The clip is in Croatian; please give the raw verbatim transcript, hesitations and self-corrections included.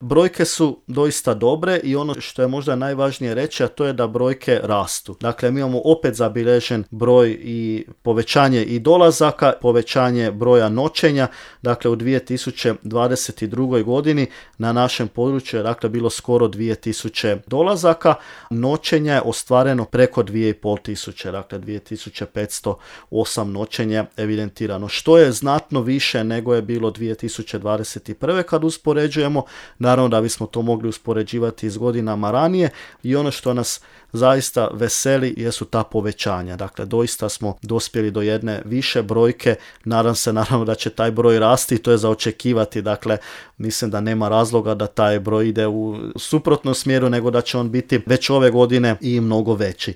Brojke su doista dobre i ono što je možda najvažnije reći, a to je da brojke rastu. Dakle, mi imamo opet zabilježen broj i povećanje i dolazaka, povećanje broja noćenja. Dakle, u dvije tisuće dvadeset druge. godini na našem području je dakle bilo skoro dvije tisuće dolazaka, noćenja je ostvareno preko dvije tisuće pet, dakle dvije tisuće petsto osam noćenja evidentirano, što je znatno više nego je bilo dvije tisuće dvadeset prve. kad uspoređujemo. Naravno da bismo to mogli uspoređivati s godinama ranije i ono što nas zaista veseli jesu ta povećanja. Dakle, doista smo dospjeli do jedne više brojke. Nadam se naravno da će taj broj rasti i to je za očekivati. Dakle, mislim da nema razloga da taj broj ide u suprotnom smjeru, nego da će on biti već ove godine i mnogo veći.